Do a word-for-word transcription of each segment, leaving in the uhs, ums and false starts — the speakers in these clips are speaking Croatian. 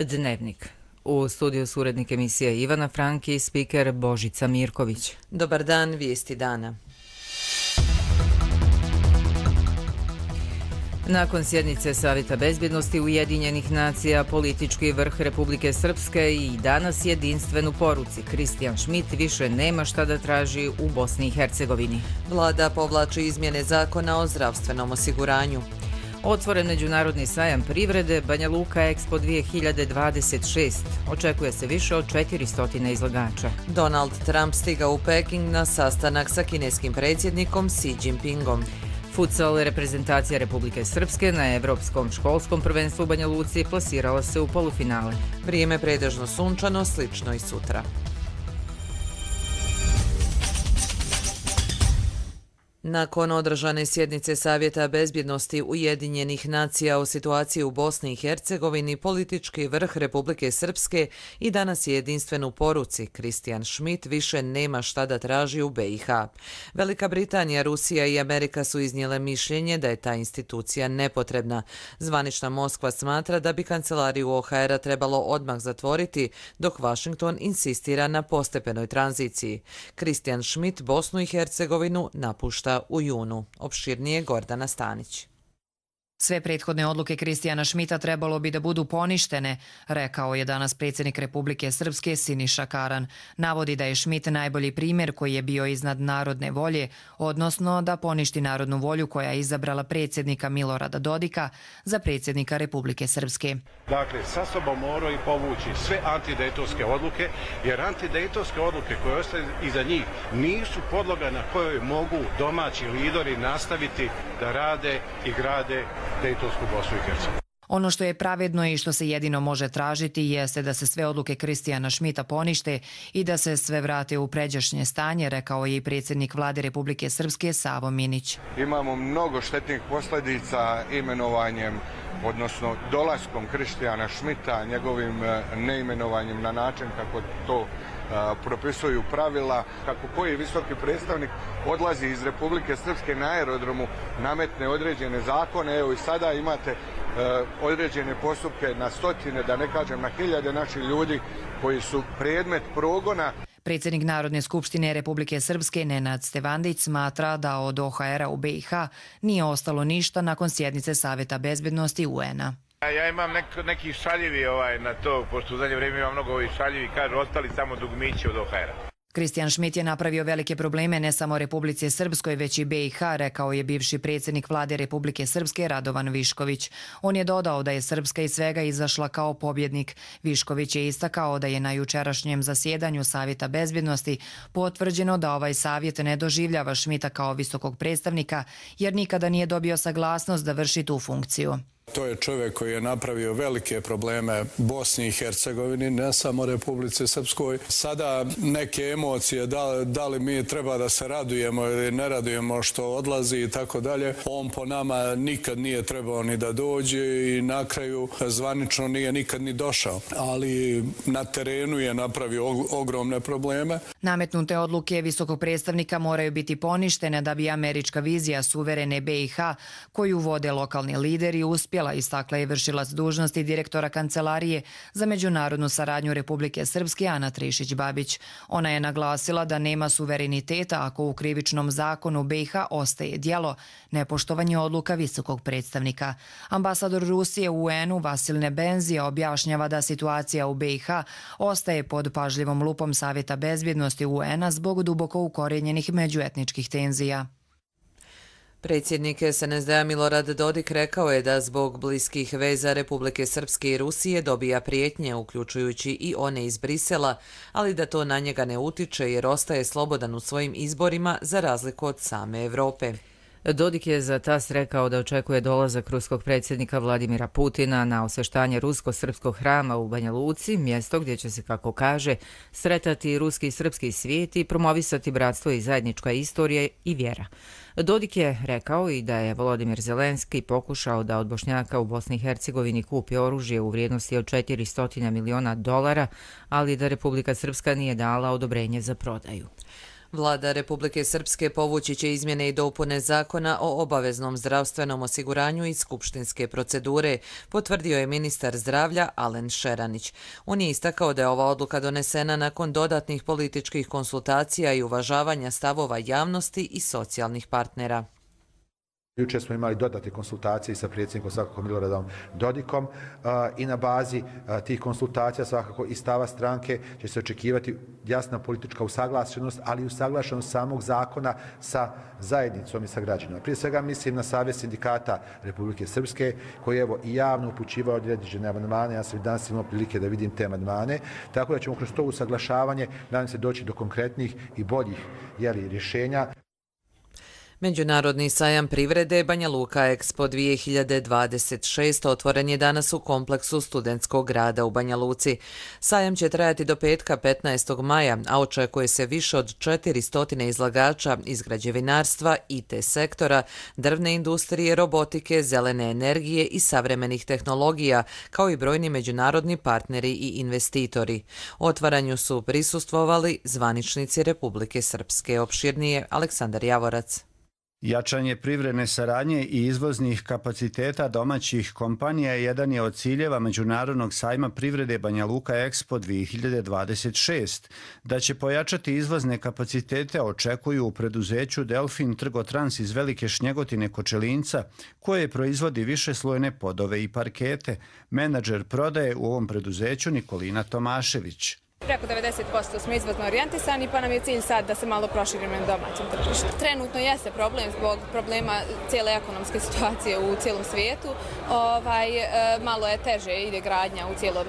Dnevnik. U studiju su urednik emisije Ivana Franki i spiker Božica Mirković. Dobar dan, vijesti dana. Nakon sjednice Savjeta bezbjednosti Ujedinjenih nacija, politički vrh Republike Srpske i danas jedinstvenu poruci. Kristijan Šmit više nema šta da traži u Bosni i Hercegovini. Vlada povlači izmjene zakona o zdravstvenom osiguranju. Otvoren međunarodni sajam privrede Banja Luka Expo dvije hiljade dvadeset šest. Očekuje se više od četiristo izlagača. Donald Trump stigao u Peking na sastanak sa kineskim predsjednikom Xi Jinpingom. Futsal reprezentacija Republike Srpske na Evropskom školskom prvenstvu u Banja Luci plasirala se u polufinale. Vrijeme pretežno sunčano, slično i sutra. Nakon održane sjednice Savjeta bezbjednosti Ujedinjenih nacija o situaciji u Bosni i Hercegovini, politički vrh Republike Srpske i danas je jedinstven u poruci. Kristijan Šmit više nema šta da traži u B i H. Velika Britanija, Rusija i Amerika su iznijele mišljenje da je ta institucija nepotrebna. Zvanična Moskva smatra da bi kancelariju O H R-a trebalo odmah zatvoriti, dok Washington insistira na postepenoj tranziciji. Kristijan Šmit Bosnu i Hercegovinu napušta u junu. Opširnije Gordana Stanić. Sve prethodne odluke Kristijana Šmita trebalo bi da budu poništene, rekao je danas predsjednik Republike Srpske Siniša Karan. Navodi da je Šmit najbolji primjer koji je bio iznad narodne volje, odnosno da poništi narodnu volju koja je izabrala predsjednika Milorada Dodika za predsjednika Republike Srpske. Dakle, sa sobom moraju povući sve antidejtonske odluke, jer antidejtonske odluke koje ostaju iza njih nisu podloga na kojoj mogu domaći lideri nastaviti da rade i grade Dejtonsku Bosnu i Hercegovinu. Ono što je pravedno i što se jedino može tražiti jeste da se sve odluke Kristijana Šmita ponište i da se sve vrate u pređašnje stanje, rekao je i predsjednik Vlade Republike Srpske Savo Minić. Imamo mnogo štetnih posljedica imenovanjem, odnosno dolaskom Kristijana Šmita, njegovim neimenovanjem na način kako to propisuju pravila, kako koji visoki predstavnik odlazi iz Republike Srpske na aerodromu, nametne određene zakone. Evo i sada imate određene postupke na stotine, da ne kažem na hiljade naših ljudi koji su predmet progona. Predsjednik Narodne skupštine Republike Srpske Nenad Stevandić smatra da od O H R-a u B i H nije ostalo ništa nakon sjednice Savjeta bezbjednosti U N-a. Ja imam nek, neki šaljivi ovaj, na to, pošto u zadnje vrijeme imam mnogo ovih šaljivi, kažu, ostali samo dugmići od O H R-a. Kristijan Šmit je napravio velike probleme ne samo Republici Srpskoj, već i B i H, rekao je bivši predsjednik Vlade Republike Srpske Radovan Višković. On je dodao da je Srpska iz svega izašla kao pobjednik. Višković je istakao da je na jučerašnjem zasjedanju Savjeta bezbjednosti potvrđeno da ovaj savjet ne doživljava Šmita kao visokog predstavnika, jer nikada nije dobio saglasnost da vrši tu funkciju. To je čovjek koji je napravio velike probleme Bosni i Hercegovini, ne samo Republici Srpskoj. Sada neke emocije, da, da li mi treba da se radujemo ili ne radujemo što odlazi i tako dalje. On po nama nikad nije trebao ni da dođe i na kraju zvanično nije nikad ni došao. Ali na terenu je napravio ogromne probleme. Nametnute odluke visokog predstavnika moraju biti poništene da bi američka vizija suverene B i H, koju vode lokalni lideri, uspjela, istakla je vršilac dužnosti direktora Kancelarije za međunarodnu saradnju Republike Srpske Ana Trišić-Babić. Ona je naglasila da nema suvereniteta ako u krivičnom zakonu B i H ostaje djelo nepoštovanje odluka visokog predstavnika. Ambasador Rusije u U N-u Vasil Nebenzija objašnjava da situacija u B i H ostaje pod pažljivom lupom Savjeta bezbjednosti U N-a zbog duboko ukorenjenih međuetničkih tenzija. Predsjednik S N S D-a Milorad Dodik rekao je da zbog bliskih veza Republike Srpske i Rusije dobija prijetnje, uključujući i one iz Brisela, ali da to na njega ne utiče jer ostaje slobodan u svojim izborima za razliku od same Evrope. Dodik je za tas rekao da očekuje dolazak ruskog predsjednika Vladimira Putina na osveštanje rusko-srpskog hrama u Banja Luci, mjesto gdje će se, kako kaže, sretati ruski i srpski svijet i promovisati bratstvo i zajednička istorija i vjera. Dodik je rekao i da je Volodimir Zelenski pokušao da od Bošnjaka u Bosni i Hercegovini kupi oružje u vrijednosti od četiristo miliona dolara, ali da Republika Srpska nije dala odobrenje za prodaju. Vlada Republike Srpske povući će izmjene i dopune zakona o obaveznom zdravstvenom osiguranju iz skupštinske procedure, potvrdio je ministar zdravlja Alen Šeranić. On je istakao da je ova odluka donesena nakon dodatnih političkih konsultacija i uvažavanja stavova javnosti i socijalnih partnera. Jučer smo imali dodatne konsultacije sa predsjednikom svakako Miloradom Dodikom i na bazi tih konsultacija svakako i stava stranke će se očekivati jasna politička usaglašenost, ali i usaglašenost samog zakona sa zajednicom i sa građanima. Prije svega mislim na Savez sindikata Republike Srpske koji je evo i javno upućivao određene amandmane, ja sam i danas imao prilike da vidim te amandmane, tako da ćemo kroz to usaglašavanje nadam se doći do konkretnih i boljih jeli, rješenja. Međunarodni sajam privrede Banja Luka Expo dvije hiljade dvadeset šest otvoren je danas u kompleksu Studentskog grada u Banja Luci. Sajam će trajati do petka petnaestog maja, a očekuje se više od četiristo izlagača iz građevinarstva, I T sektora, drvne industrije, robotike, zelene energije i savremenih tehnologija, kao i brojni međunarodni partneri i investitori. Otvaranju su prisustvovali zvaničnici Republike Srpske. Opširnije Aleksandar Javorac. Jačanje privredne saradnje i izvoznih kapaciteta domaćih kompanija jedan je od ciljeva Međunarodnog sajma privrede Banja Luka Expo dvije hiljade dvadeset šest. Da će pojačati izvozne kapacitete očekuju u preduzeću Delfin Trgotrans iz Velike Šnjegotine Kočelinca, koje proizvodi višeslojne podove i parkete. Menadžer prodaje u ovom preduzeću Nikolina Tomašević. Preko devedeset posto smo izvozno orijentisani, pa nam je cilj sad da se malo proširimo na domaćem tržištu. Trenutno jeste problem zbog problema cijele ekonomske situacije u cijelom svijetu. Ovaj, malo je teže ide gradnja u, cijelom,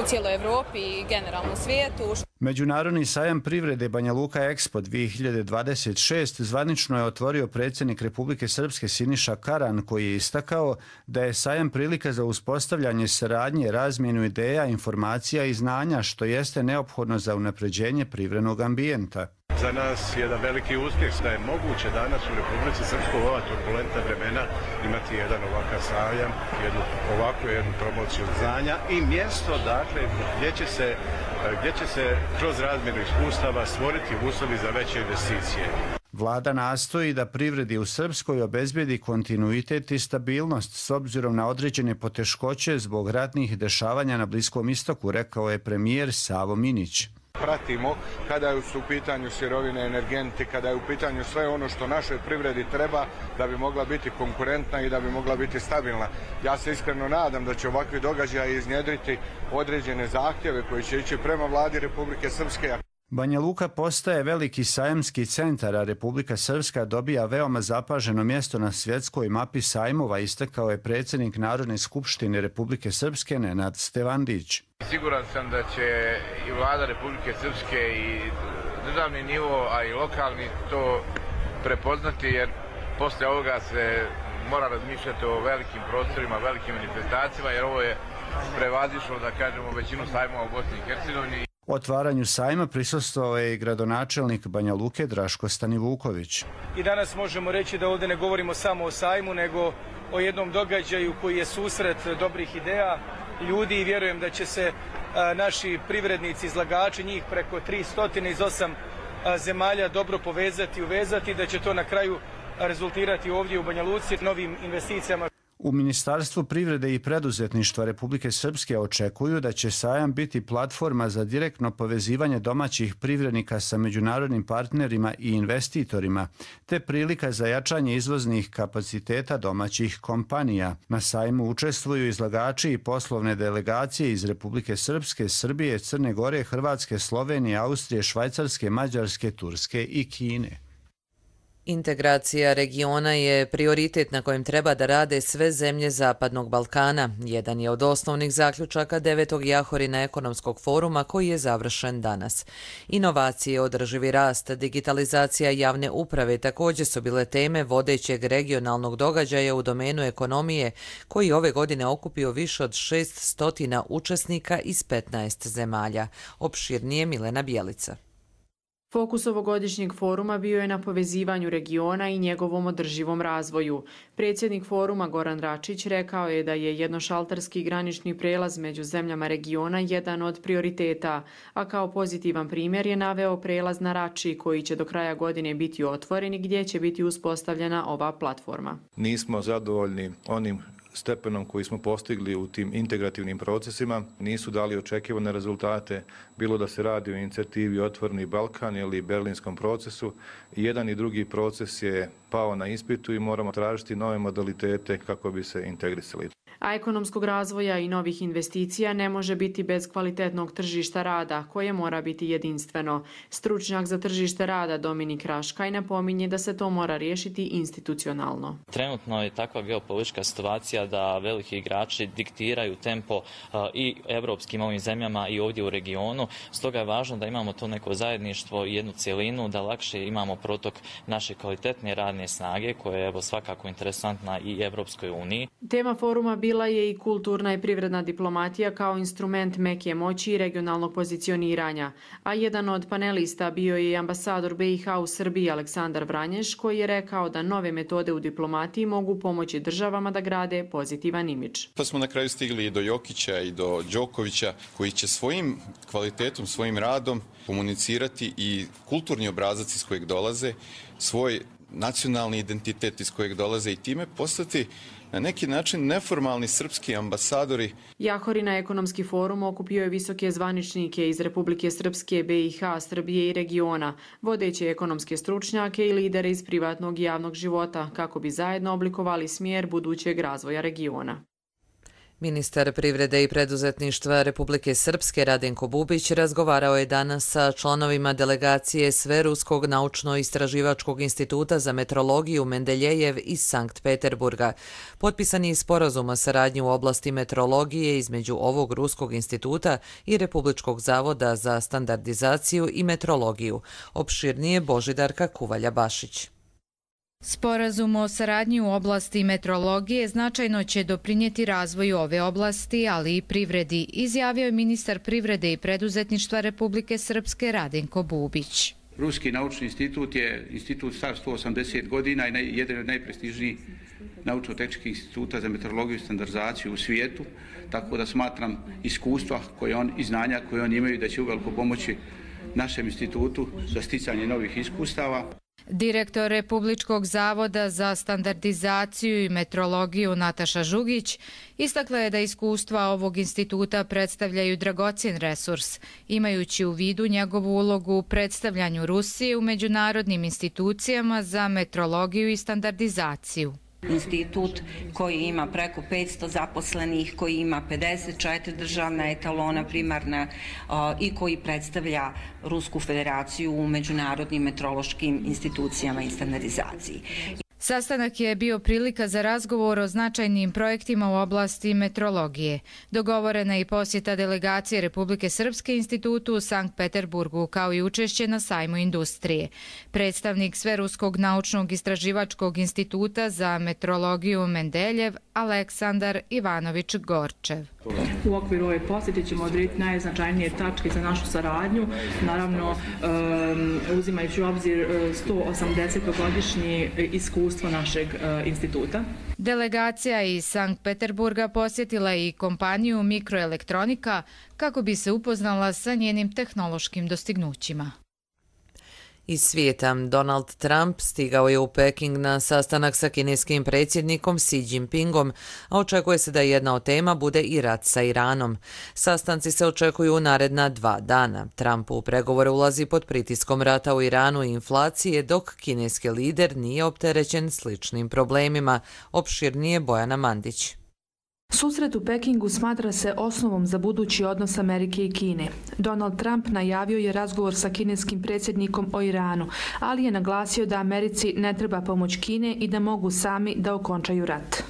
u cijeloj Evropi i generalno u svijetu. Međunarodni sajam privrede Banja Luka Expo dvije hiljade dvadeset šest zvanično je otvorio predsjednik Republike Srpske Siniša Karan, koji je istakao da je sajam prilika za uspostavljanje saradnje, razmjenu ideja, informacija i znanja, što jeste neophodno za unapređenje privrednog ambijenta. Za nas je jedan veliki uspjeh da je moguće danas u Republici Srpskoj u ova turbulentna vremena imati jedan ovakav sajam, jednu ovakvu jednu promociju znanja i mjesto dakle gdje će se, gdje će se kroz razmjenu iskustava stvoriti uslovi za veće investicije. Vlada nastoji da privredi u Srpskoj obezbedi kontinuitet i stabilnost s obzirom na određene poteškoće zbog ratnih dešavanja na Bliskom istoku, rekao je premijer Savo Minić. Pratimo kada su u pitanju sirovine, energenti, kada je u pitanju sve ono što našoj privredi treba da bi mogla biti konkurentna i da bi mogla biti stabilna. Ja se iskreno nadam da će ovakvi događaji iznjedriti određene zahtjeve koji će ići prema vladi Republike Srpske. Banja Luka postaje veliki sajamski centar, a Republika Srpska dobija veoma zapaženo mjesto na svjetskoj mapi sajmova, istakao je predsjednik Narodne skupštine Republike Srpske Nenad Stevandić. Siguran sam da će i vlada Republike Srpske i državni nivo, a i lokalni to prepoznati, jer posle ovoga se mora razmišljati o velikim prostorima, velikim manifestacijama, jer ovo je prevazišlo, da kažemo, većinu sajmova u Bosni i Hercegovini. Otvaranju sajma prisustvovao je i gradonačelnik Banja Luke Draško Stanivuković. I danas možemo reći da ovdje ne govorimo samo o sajmu, nego o jednom događaju koji je susret dobrih ideja ljudi i vjerujem da će se a, naši privrednici, izlagači, njih preko tristo iz osam a, zemalja dobro povezati i uvezati, da će to na kraju rezultirati ovdje u Banja Luci novim investicijama. U Ministarstvu privrede i preduzetništva Republike Srpske očekuju da će sajam biti platforma za direktno povezivanje domaćih privrednika sa međunarodnim partnerima i investitorima, te prilika za jačanje izvoznih kapaciteta domaćih kompanija. Na sajmu učestvuju izlagači i poslovne delegacije iz Republike Srpske, Srbije, Crne Gore, Hrvatske, Slovenije, Austrije, Švajcarske, Mađarske, Turske i Kine. Integracija regiona je prioritet na kojem treba da rade sve zemlje Zapadnog Balkana. Jedan je od osnovnih zaključaka devetog Jahorina ekonomskog foruma koji je završen danas. Inovacije, održivi rast, digitalizacija javne uprave također su bile teme vodećeg regionalnog događaja u domenu ekonomije koji ove godine okupio više od šeststo učesnika iz petnaest zemalja. Opširnije Milena Bjelica. Fokus ovogodišnjeg foruma bio je na povezivanju regiona i njegovom održivom razvoju. Predsjednik foruma Goran Račić rekao je da je jednošalterski granični prelaz među zemljama regiona jedan od prioriteta, a kao pozitivan primjer je naveo prelaz na Rači koji će do kraja godine biti otvoren i gdje će biti uspostavljena ova platforma. Nismo zadovoljni onim stepenom koji smo postigli u tim integrativnim procesima, nisu dali očekivane rezultate, bilo da se radi o inicijativi Otvoreni Balkan ili Berlinskom procesu. Jedan i drugi proces je pao na ispitu i moramo tražiti nove modalitete kako bi se integrisali. A ekonomskog razvoja i novih investicija ne može biti bez kvalitetnog tržišta rada, koje mora biti jedinstveno. Stručnjak za tržište rada Dominik Raškaj napominje da se to mora riješiti institucionalno. Trenutno je takva geopolitička situacija da veliki igrači diktiraju tempo i evropskim ovim zemljama i ovdje u regionu. Stoga je važno da imamo to neko zajedništvo i jednu cjelinu, da lakše imamo protok naše kvalitetne radne snage, koja je evo svakako interesantna i Evropskoj uniji. Tema foruma bila je i kulturna i privredna diplomatija kao instrument meke moći i regionalnog pozicioniranja, a jedan od panelista bio je i ambasador B i H u Srbiji Aleksandar Vranješ, koji je rekao da nove metode u diplomatiji mogu pomoći državama da grade pozitivan imidž. Pa smo na kraju stigli i do Jokića i do Đokovića, koji će svojim kvalitetom, svojim radom komunicirati i kulturni obrazac iz kojeg dolaze, svoj nacionalni identitet iz kojeg dolaze i time postati na neki način neformalni srpski ambasadori. Jahorina ekonomski forum okupio je visoke zvaničnike iz Republike Srpske, B i H, Srbije i regiona, vodeće ekonomske stručnjake i lidere iz privatnog i javnog života, kako bi zajedno oblikovali smjer budućeg razvoja regiona. Ministar privrede i preduzetništva Republike Srpske Radenko Bubić razgovarao je danas sa članovima delegacije Sveruskog naučno-istraživačkog instituta za metrologiju Mendeljejev iz Sankt Peterburga. Potpisan je sporazum o saradnji u oblasti metrologije između ovog ruskog instituta i Republičkog zavoda za standardizaciju i metrologiju. Opširnije Božidarka Kuvalja-Bašić. Sporazum o saradnji u oblasti metrologije značajno će doprinijeti razvoju ove oblasti, ali i privredi, izjavio je ministar privrede i preduzetništva Republike Srpske Radenko Bubić. Ruski naučni institut je institut star sto osamdeset godina i jedan od najprestižnijih naučno-tehničkih instituta za metrologiju i standardizaciju u svijetu, tako da smatram iskustva koje on i znanja koje oni imaju da će uveliko pomoći našem institutu za sticanje novih iskustava. Direktor Republičkog zavoda za standardizaciju i metrologiju Nataša Žugić istakla je da iskustva ovog instituta predstavljaju dragocjen resurs, imajući u vidu njegovu ulogu u predstavljanju Rusije u međunarodnim institucijama za metrologiju i standardizaciju. Institut koji ima preko petsto zaposlenih, koji ima pedeset četiri državna etalona primarna i koji predstavlja Rusku federaciju u međunarodnim metrološkim institucijama i standardizaciji. Sastanak je bio prilika za razgovor o značajnim projektima u oblasti metrologije. Dogovorena je i posjeta delegacije Republike Srpske institutu u Sankt Peterburgu, kao i učešće na sajmu industrije. Predstavnik Sveruskog naučnog istraživačkog instituta za metrologiju Mendeljev, Aleksandar Ivanović Gorčev. U okviru ove posjete ćemo odrediti najznačajnije tačke za našu saradnju, naravno uzimajući u obzir sto osamdesetogodišnje iskustvo našeg instituta. Delegacija iz Sankt Peterburga posjetila je i kompaniju Mikroelektronika kako bi se upoznala sa njenim tehnološkim dostignućima. Iz svijeta, Donald Trump stigao je u Peking na sastanak sa kineskim predsjednikom Xi Jinpingom, a očekuje se da jedna od tema bude i rat sa Iranom. Sastanci se očekuju u naredna dva dana. Trump u pregovore ulazi pod pritiskom rata u Iranu i inflacije, dok kineski lider nije opterećen sličnim problemima. Opširnije Bojana Mandić. Susret u Pekingu smatra se osnovom za budući odnos Amerike i Kine. Donald Trump najavio je razgovor sa kineskim predsjednikom o Iranu, ali je naglasio da Americi ne treba pomoć Kine i da mogu sami da okončaju rat.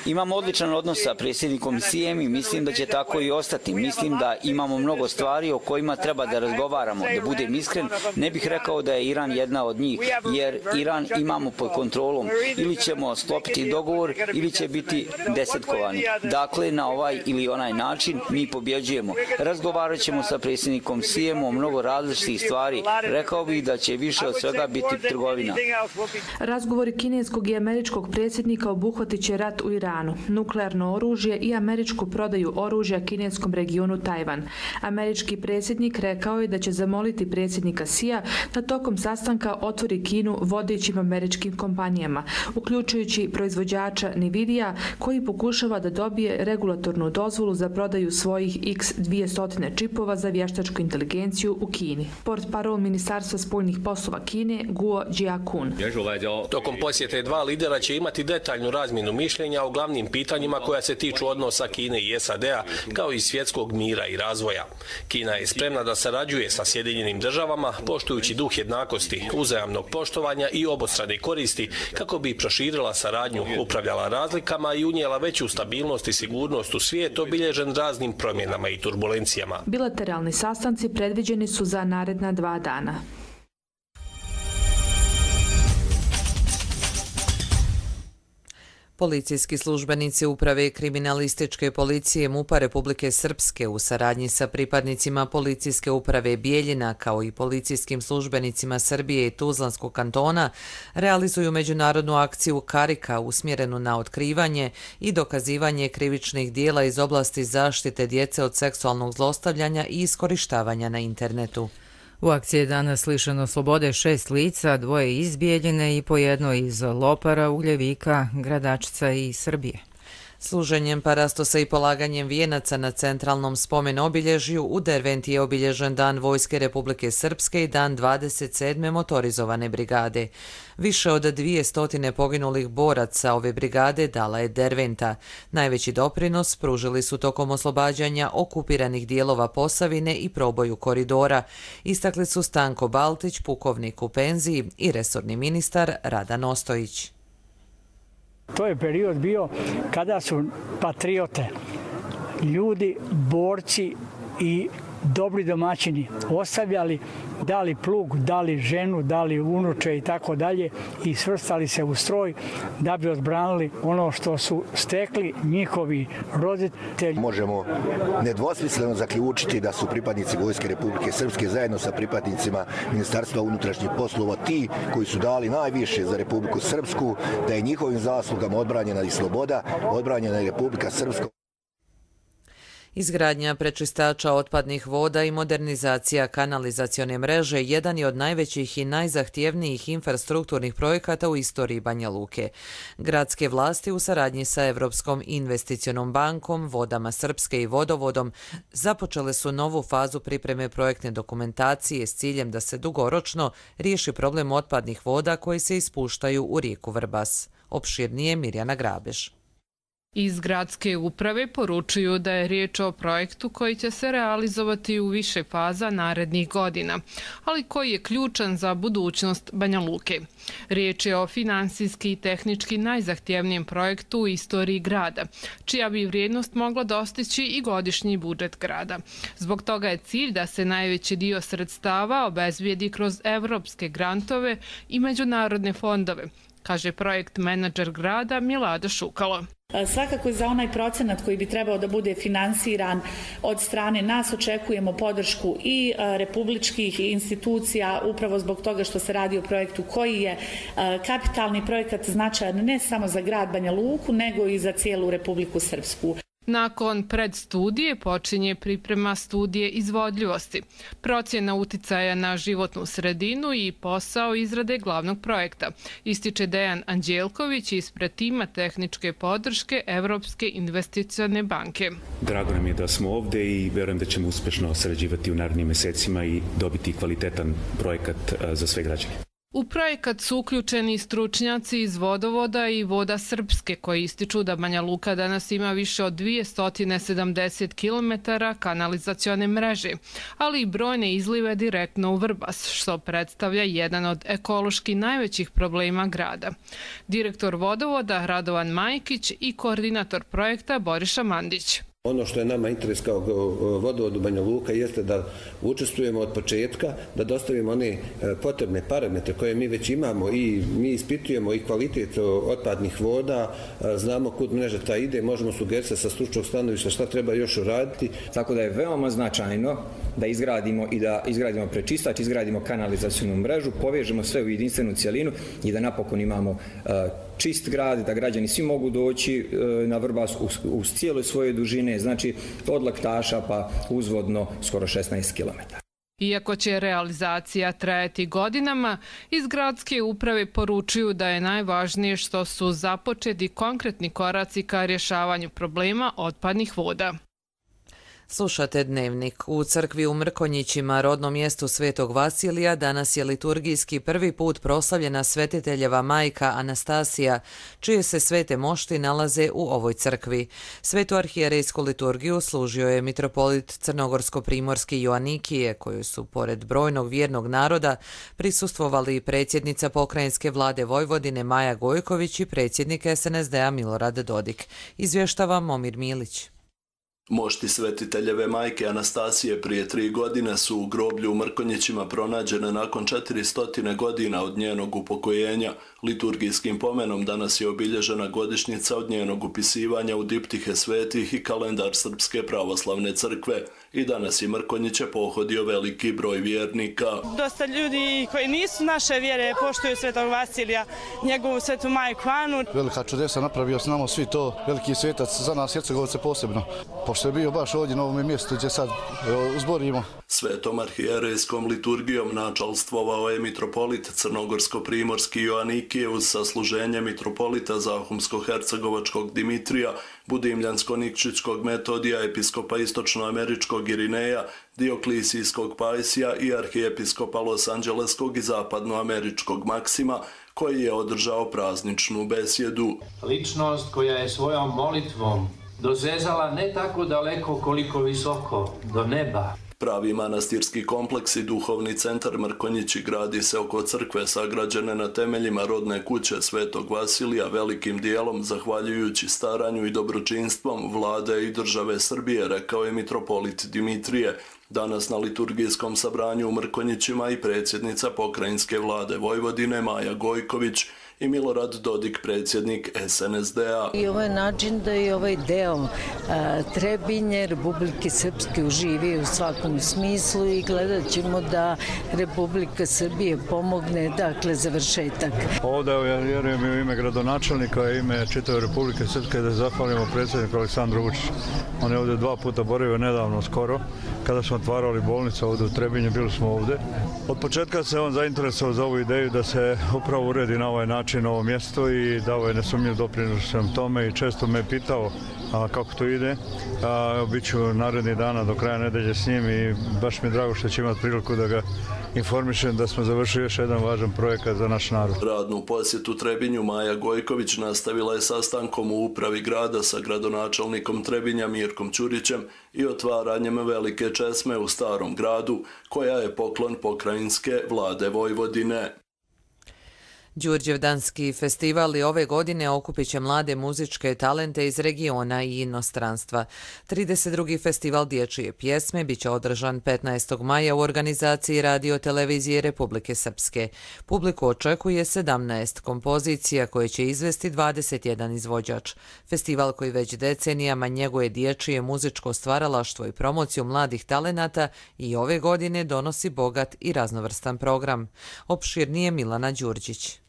Imamo odličan odnos sa predsjednikom Sijem i mislim da će tako i ostati. Mislim da imamo mnogo stvari o kojima treba da razgovaramo. Da budem iskren, ne bih rekao da je Iran jedna od njih, jer Iran imamo pod kontrolom. Ili ćemo sklopiti dogovor ili će biti desetkovani. Dakle, na ovaj ili onaj način mi pobjeđujemo. Razgovarat ćemo sa predsjednikom Sijem o mnogo različitih stvari. Rekao bih da će više od svega biti trgovina. Razgovori kineskog i američkog predsjednika obuhvatit će rat u Iranu, nuklearno oružje i američku prodaju oružja kineskom regionu Tajvan. Američki predsjednik rekao je da će zamoliti predsjednika Sija da tokom sastanka otvori Kinu vodećim američkim kompanijama, uključujući proizvođača Nvidia koji pokušava da dobije regulatornu dozvolu za prodaju svojih iks dvjesto čipova za vještačku inteligenciju u Kini. Portparol Ministarstva spoljnih poslova Kine Guo Jiakun. Tokom posjete dva lidera će imati detaljnu razmjenu mišljenja o glavnim pitanjima koja se tiču odnosa Kine i S A D-a, kao i svjetskog mira i razvoja. Kina je spremna da sarađuje sa Sjedinjenim državama, poštujući duh jednakosti, uzajamnog poštovanja i obostrane koristi, kako bi proširila saradnju, upravljala razlikama i unijela veću stabilnost i sigurnost u svijet obilježen raznim promjenama i turbulencijama. Bilateralni sastanci predviđeni su za naredna dva dana. Policijski službenici Uprave kriminalističke policije MUP-a Republike Srpske u saradnji sa pripadnicima Policijske uprave Bijeljina kao i policijskim službenicima Srbije i Tuzlanskog kantona realizuju međunarodnu akciju Karika usmjerenu na otkrivanje i dokazivanje krivičnih dijela iz oblasti zaštite djece od seksualnog zlostavljanja i iskorištavanja na internetu. U akciji je danas lišeno slobode šest lica, dvoje iz Bijeljine i po jedno iz Lopara, Ugljevika, Gradačca i Srbije. Služenjem parastosa i polaganjem vijenaca na centralnom spomen obilježju u Derventi je obilježen Dan Vojske Republike Srpske i Dan dvadeset sedme motorizovane brigade. Više od dvije stotine poginulih boraca ove brigade dala je Derventa. Najveći doprinos pružili su tokom oslobađanja okupiranih dijelova Posavine i proboju koridora. Istakli su Stanko Baltić, pukovnik u penziji i resorni ministar Radan Ostojić. To je period bio kada su patriote, ljudi, borci i dobri domaćini ostavljali, dali plug, dali ženu, dali unuče i tako dalje i svrstali se u stroj da bi odbranili ono što su stekli njihovi roditelji. Možemo nedvosmisleno zaključiti da su pripadnici Vojske Republike Srpske zajedno sa pripadnicima Ministarstva unutrašnjih poslova ti koji su dali najviše za Republiku Srpsku, da je njihovim zaslugama odbranjena i sloboda, odbranjena i Republika Srpska. Izgradnja prečistača otpadnih voda i modernizacija kanalizacione mreže jedan je od najvećih i najzahtjevnijih infrastrukturnih projekata u istoriji Banja Luke. Gradske vlasti u saradnji sa Evropskom investicionom bankom, Vodama Srpske i Vodovodom započele su novu fazu pripreme projektne dokumentacije s ciljem da se dugoročno riješi problem otpadnih voda koji se ispuštaju u rijeku Vrbas. Opširnije Mirjana Grabeš. Iz gradske uprave poručuju da je riječ o projektu koji će se realizovati u više faza narednih godina, ali koji je ključan za budućnost Banja Luke. Riječ je o finansijski i tehnički najzahtjevnijem projektu u istoriji grada, čija bi vrijednost mogla dostići i godišnji budžet grada. Zbog toga je cilj da se najveći dio sredstava obezbijedi kroz evropske grantove i međunarodne fondove, kaže projekt menadžer grada Milada Šukalo. Svakako za onaj procenat koji bi trebao da bude finansiran od strane nas očekujemo podršku i republičkih institucija upravo zbog toga što se radi o projektu koji je kapitalni projekat značajan ne samo za grad Banja Luku nego i za cijelu Republiku Srpsku. Nakon predstudije počinje priprema studije izvodljivosti, procjena uticaja na životnu sredinu i posao izrade glavnog projekta, ističe Dejan Anđelković ispred tima tehničke podrške Evropske investicione banke. Drago nam je da smo ovdje i verujem da ćemo uspješno sarađivati u narednim mjesecima i dobiti kvalitetan projekat za sve građane. U projekat su uključeni stručnjaci iz Vodovoda i Voda Srpske koji ističu da Banja Luka danas ima više od dvjesto sedamdeset kilometara kanalizacione mreže, ali i brojne izlive direktno u Vrbas, što predstavlja jedan od ekološki najvećih problema grada. Direktor Vodovoda Radovan Majkić i koordinator projekta Boriša Mandić. Ono što je nama interes kao Vodovodu Banja Luka jeste da učestvujemo od početka, da dostavimo one potrebne parametre koje mi već imamo i mi ispitujemo i kvalitet otpadnih voda, znamo kud mreža ta ide, možemo sugerisati sa stručnog stanovišta šta treba još uraditi. Tako da je veoma značajno da izgradimo i da izgradimo prečistač, izgradimo kanalizacionu mrežu, povežemo sve u jedinstvenu cjelinu i da napokon imamo čist grad, da građani svi mogu doći na Vrbas uz cijele svoje dužine, znači od Laktaša pa uzvodno skoro šesnaest kilometara. Iako će realizacija trajati godinama, iz gradske uprave poručuju da je najvažnije što su započeti konkretni koraci ka rješavanju problema otpadnih voda. Slušate Dnevnik. U crkvi u Mrkonjićima, rodnom mjestu Svetog Vasilija, danas je liturgijski prvi put proslavljena svetiteljeva majka Anastasija, čije se svete mošti nalaze u ovoj crkvi. Svetu arhijerejsku liturgiju služio je mitropolit Crnogorsko-primorski Joanikije, koju su, pored brojnog vjernog naroda, prisustvovali predsjednica pokrajinske vlade Vojvodine Maja Gojković i predsjednik es en es de a Milorad Dodik. Izvještava Momir Milić. Mošti svetiteljeve majke Anastasije prije tri godine su u groblju u Mrkonjićima pronađene nakon četiristo godina od njenog upokojenja. Liturgijskim pomenom danas je obilježena godišnjica od njenog upisivanja u diptihe svetih i kalendar Srpske pravoslavne crkve. I danas je Mrkonjiće pohodio veliki broj vjernika. Dosta ljudi koji nisu naše vjere poštuju Svetog Vasilija, njegovu svetu majku Anu. Velika čudesa napravio, znamo svi to, veliki svetac za nas Hercegovce posebno. Pošto je bio baš ovdje na ovom mjestu gdje sad zborimo. Svetom arhijerejskom liturgijom načalstvovao je mitropolit Crnogorsko-primorski Joanikije uz sasluženje mitropolita Zahumsko-hercegovačkog Dimitrija, Budimljansko-nikčićkog Metodija, episkopa istočnoameričkog Irineja, Dioklisijskog Pajsija i arhijepiskopa Los Angeleskog i zapadnoameričkog Maksima, koji je održao prazničnu besjedu. Ličnost koja je svojom molitvom dozezala ne tako daleko koliko visoko, do neba. Pravi manastirski kompleks i duhovni centar Mrkonjići gradi se oko crkve sagrađene na temeljima rodne kuće Svetog Vasilija, velikim dijelom zahvaljujući staranju i dobročinstvom vlade i države Srbije, rekao je mitropolit Dimitrije. Danas na liturgijskom sabranju u Mrkonjićima i predsjednica pokrajinske vlade Vojvodine Maja Gojković i Milorad Dodik, predsjednik es en es de a. I ovaj način da je ovaj deo a, Trebinje, Republike Srpske uživi u svakom smislu i gledat ćemo da Republika Srbije pomogne, dakle, završetak. Ovdje ja vjerujem i u ime gradonačelnika i ime čitave Republike Srpske da zahvalimo predsjedniku Aleksandru Vučiću. On je ovdje dva puta boravio nedavno skoro, kada smo otvarali bolnicu ovdje u Trebinju, bili smo ovdje. Od početka se on zainteresovao za ovu ideju da se upravo uredi na ovaj način ovo mjesto i dao je nesumnjiv doprinos tome i često me pitao a, kako to ide. Biću naredni dana do kraja nedelje s njim i baš mi je drago što će imati priliku da ga informišem da smo završili još jedan važan projekat za naš narod. Radnu posjetu Trebinju Maja Gojković nastavila je sastankom u upravi grada sa gradonačelnikom Trebinja Mirkom Ćurićem i otvaranjem velike česme u Starom gradu, koja je poklon pokrajinske vlade Vojvodine. Đurđevdanski festival i ove godine okupit će mlade muzičke talente iz regiona i inostranstva. trideset drugi festival dječje pjesme biće održan petnaestog maja u organizaciji Radio televizije Republike Srpske. Publiku očekuje sedamnaest kompozicija koje će izvesti dvadeset jedan izvođač. Festival koji već decenijama njeguje dječje muzičko stvaralaštvo i promociju mladih talenata i ove godine donosi bogat i raznovrstan program. Opširnije Milana Đurđić.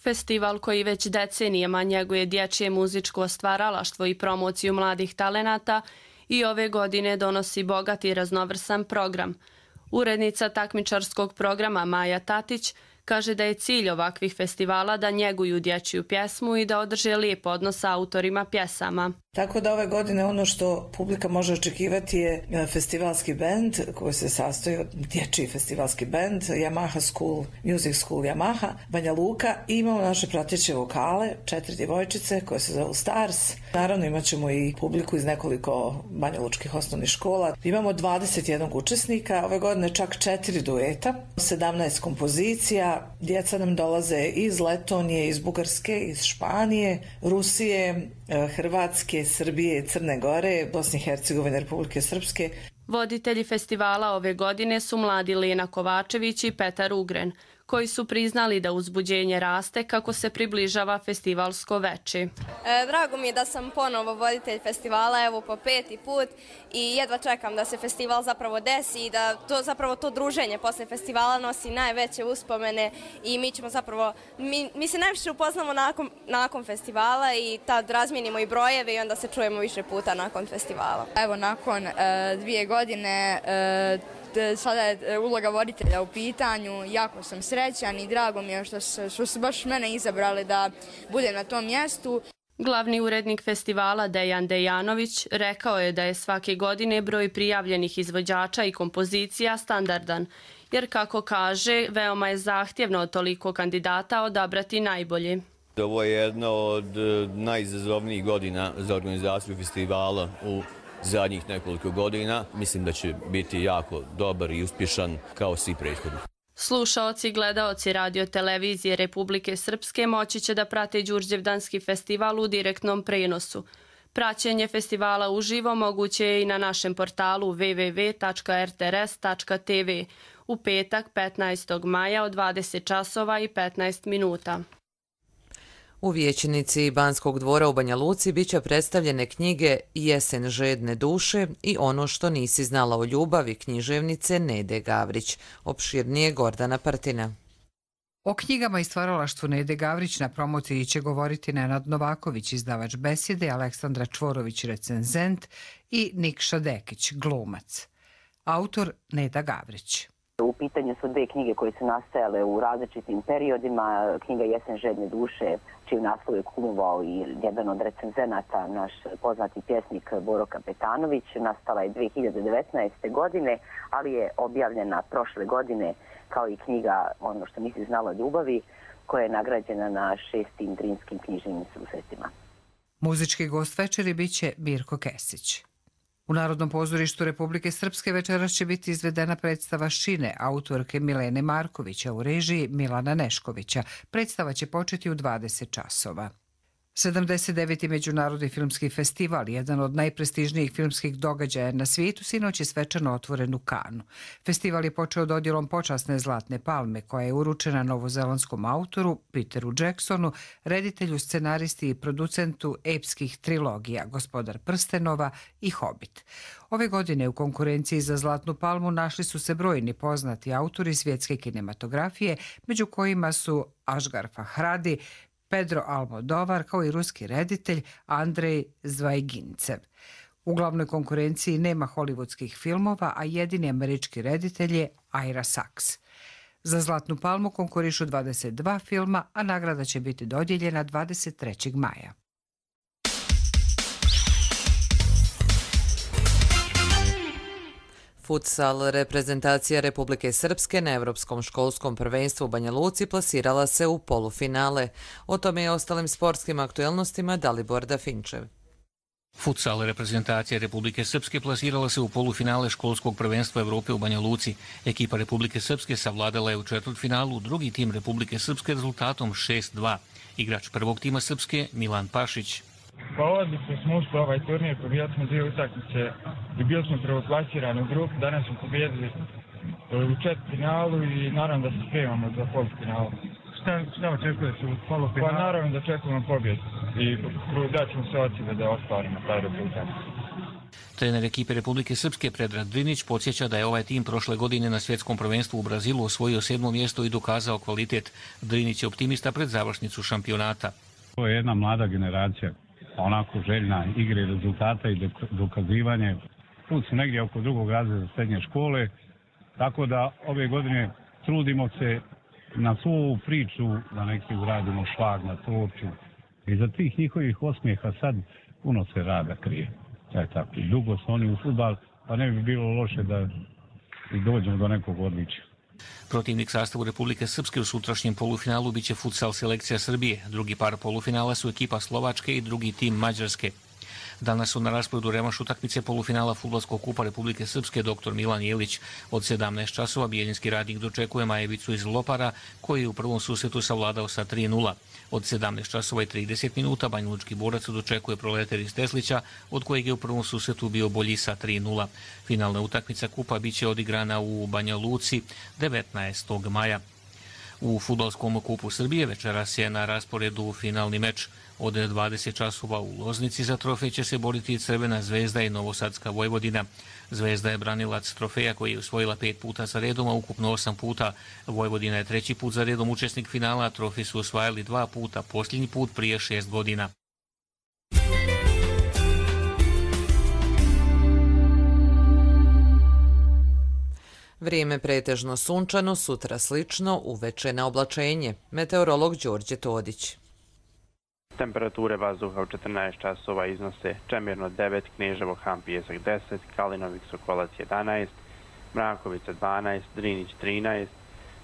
Festival koji već decenijama njeguje dječje muzičko stvaralaštvo i promociju mladih talenata i ove godine donosi bogat i raznovrsan program. Urednica takmičarskog programa Maja Tatić kaže da je cilj ovakvih festivala da njeguju dječju pjesmu i da održe lijep odnos sa autorima pjesama. Tako da ove godine ono što publika može očekivati je festivalski bend koji se sastoji od dječji festivalski bend, Yamaha School, Music School Yamaha, Banja Luka i imamo naše prateće vokale, četiri djevojčice koje se zovu Stars. Naravno imat ćemo i publiku iz nekoliko banjalučkih osnovnih škola. Imamo dvadeset jedan učesnika, ove godine čak četiri dueta, sedamnaest kompozicija, djeca nam dolaze iz Letonije, iz Bugarske, iz Španije, Rusije, Hrvatske, Srbije, Crne Gore, Bosne i Hercegovine, Republike Srpske. Voditelji festivala ove godine su mladi Lena Kovačević i Petar Ugren, koji su priznali da uzbuđenje raste kako se približava festivalsko veče. E, drago mi je da sam ponovo voditelj festivala, evo po peti put, i jedva čekam da se festival zapravo desi i da to zapravo to druženje posle festivala nosi najveće uspomene i mi ćemo zapravo, mi, mi se najviše upoznamo nakon, nakon festivala i tad razmijenimo i brojeve i onda se čujemo više puta nakon festivala. Evo nakon e, dvije godine e, sada je uloga voditelja u pitanju, jako sam srećan i drago mi je što su, što su baš mene izabrali da budem na tom mjestu. Glavni urednik festivala Dejan Dejanović rekao je da je svake godine broj prijavljenih izvođača i kompozicija standardan, jer kako kaže, veoma je zahtjevno od toliko kandidata odabrati najbolje. Ovo je jedna od najizazovnijih godina za organizaciju festivala u zadnjih nekoliko godina. Mislim da će biti jako dobar i uspješan kao svi prethodni. Slušaoci i gledaoci radio televizije Republike Srpske moći će da prate Đurđevdanski festival u direktnom prenosu. Praćenje festivala uživo moguće je i na našem portalu w w w tačka r t r s tačka t v u petak petnaestog maja od dvadeset časova i petnaest minuta. U vijećnici Banskog dvora u Banja Luci biće predstavljene knjige Jesen žedne duše i Ono što nisi znala o ljubavi književnice Nede Gavrić. Opširnije Gordana Partina. O knjigama i stvaralaštvu Nede Gavrić na promociji će govoriti Nenad Novaković, izdavač Besjede, Aleksandra Čvorović, recenzent i Nikša Dekić, glumac. Autor Neda Gavrić. U pitanju su dve knjige koje su nastajale u različitim periodima. Knjiga Jesen žedne duše, čiju naslov je kumovao i jedan od recenzenata, naš poznati pjesnik Boro Kapetanović. Nastala je dve hiljade devetnaeste. godine, ali je objavljena prošle godine kao i knjiga Ono što nisi znala o ljubavi, koja je nagrađena na šestim Drinskim književnim susretima. Muzički gost večeri biće Mirko Kesić. U Narodnom pozorištu Republike Srpske večeras će biti izvedena predstava Šine autorke Milene Markovića u režiji Milana Neškovića. Predstava će početi u dvadeset časova. sedamdeset deveti. Međunarodni filmski festival, jedan od najprestižnijih filmskih događaja na svijetu, sinoć je svečano otvoren u Kanu. Festival je počeo dodjelom počasne Zlatne palme, koja je uručena novozelandskom autoru Peteru Jacksonu, reditelju, scenaristi i producentu epskih trilogija Gospodar prstenova i Hobbit. Ove godine u konkurenciji za Zlatnu palmu našli su se brojni poznati autori svjetske kinematografije, među kojima su Ašgar Fahradi, Pedro Almodovar, kao i ruski reditelj Andrej Zvajgincev. U glavnoj konkurenciji nema hollywoodskih filmova, a jedini američki reditelj je Ira Sachs. Za Zlatnu palmu konkurišu dvadeset dva filma, a nagrada će biti dodijeljena dvadeset trećeg maja. Futsal reprezentacija Republike Srpske na Evropskom školskom prvenstvu u Banja Luci plasirala se u polufinale. O tome i ostalim sportskim aktuelnostima Dalibor Dafinčev. Futsal reprezentacija Republike Srpske plasirala se u polufinale školskog prvenstva Evrope u Banja Luci. Ekipa Republike Srpske savladala je u četvrtfinalu drugi tim Republike Srpske rezultatom šest dva. Igrač prvog tima Srpske Milan Pašić. Pa odlično smo ušli ovaj turnir, pobijali smo dvije utakmice i bili smo prvoplasirani u grupu, danas smo pobjedili u četvrtfinalu i naravno da se spremamo za polufinalu. Šta, šta očekuješ u polufinalu? Pa naravno da očekujemo pobjedu i daćemo se od sebe da ostvarimo taj rezultat. Trener ekipe Republike Srpske Predrag Drinić podsjeća da je ovaj tim prošle godine na svjetskom prvenstvu u Brazilu osvojio sedmo mjesto i dokazao kvalitet. Drinić je optimista pred završnicu šampionata. To je jedna mlada generacija, onako željna igre, rezultata i dokazivanje. Put su negdje oko drugog razreda srednje škole, tako da ove godine trudimo se na svu priču da neki uradimo šlag na torču. I za tih njihovih osmijeha sad puno se rada krije. Taj tako. I dugo su oni u fudbal, pa ne bi bilo loše da dođemo do nekog odličja. Protivnik sastavu Republike Srpske u sutrašnjem polufinalu biće futsal selekcija Srbije. Drugi par polufinala su ekipa Slovačke i drugi tim Mađarske. Danas su na rasporedu revanš utakmice polufinala Fudbalskog kupa Republike Srpske doktor Milan Jelić. Od sedamnaest časova bijeljinski radnik dočekuje Majevicu iz Lopara, koji je u prvom susretu savladao sa tri nula. Od sedamnaest časova i trideset minuta banjalučki borac dočekuje Proletar iz Teslića, od kojeg je u prvom susretu bio bolji sa tri nula. Finalna utakmica kupa biće odigrana u Banja Luci devetnaestog maja. U Fudbalskom kupu Srbije večeras je na rasporedu finalni meč. Od dvadeset časova u Loznici za trofej će se boriti Crvena zvezda i Novosadska Vojvodina. Zvezda je branilac trofeja koji je osvojila pet puta za redom, a ukupno osam puta. Vojvodina je treći put za redom učesnik finala, a trofej su osvajali dva puta, posljednji put prije šest godina. Vrijeme pretežno sunčano, sutra slično, uveče na oblačenje. Meteorolog Đorđe Todić. Temperature vazduha u četrnaest časova iznose Čemirno devet, Kneževo, Han, Pijesak deset, Kalinovik, Sokolac jedanaest, Mrakovica dvanaest, Drinić trinaest,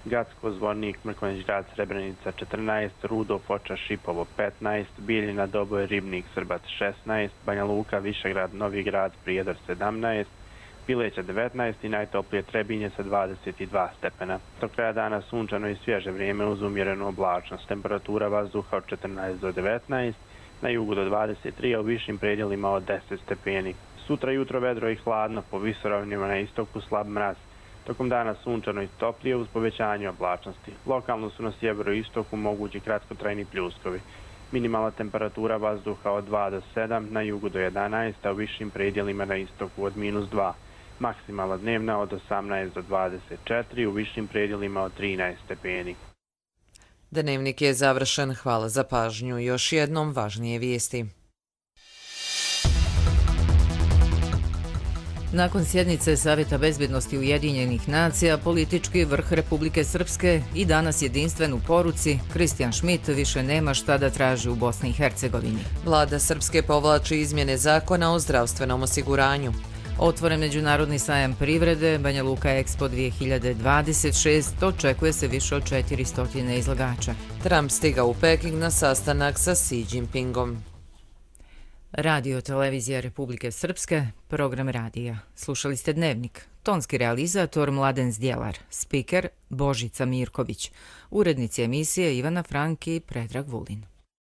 Gacko, Zvornik, Mrkonjić Grad, Srebrenica četrnaest, Rudo, Foča, Šipovo petnaest, Bijeljina, Doboj, Ribnik, Srbac šesnaest, Banja Luka, Višegrad, Novi Grad, Prijedor sedamnaest, Pileća devetnaest i najtoplije Trebinje sa dvadeset dva stepena. Do kraja dana sunčano i svježe vrijeme uz umjerenu oblačnost. Temperatura vazduha od četrnaest do devetnaest, na jugu do dvadeset tri, a u višim predjelima od deset stepeni. Sutra jutro vedro i hladno, po visoravnima na istoku slab mraz. Tokom dana sunčano i toplije uz povećanje oblačnosti. Lokalno su na sjeveru i istoku mogući kratkotrajni pljuskovi. Minimalna temperatura vazduha od dva do sedam, na jugu do jedanaest, a u višim predjelima na istoku od minus dva. Maksimalna dnevna od osamnaest do dvadeset četiri, u višim predjelima od trinaest stepeni. Dnevnik je završen. Hvala za pažnju. Još jednom važnije vijesti. Nakon sjednice Savjeta bezbjednosti Ujedinjenih nacija, politički vrh Republike Srpske i danas jedinstven u poruci, Kristijan Šmit više nema šta da traži u Bosni i Hercegovini. Vlada Srpske povlači izmjene zakona o zdravstvenom osiguranju. Otvoren međunarodni sajam privrede, Banja Luka Expo dvije hiljade dvadeset šest, očekuje se više od četiristo izlagača. Trump stigao u Peking na sastanak sa Xi Jinpingom. Radio Televizija Republike Srpske, program radija. Slušali ste Dnevnik. Tonski realizator Mladen Zdjelar, spiker Božica Mirković, urednici emisije Ivana Franki i Predrag Vulin.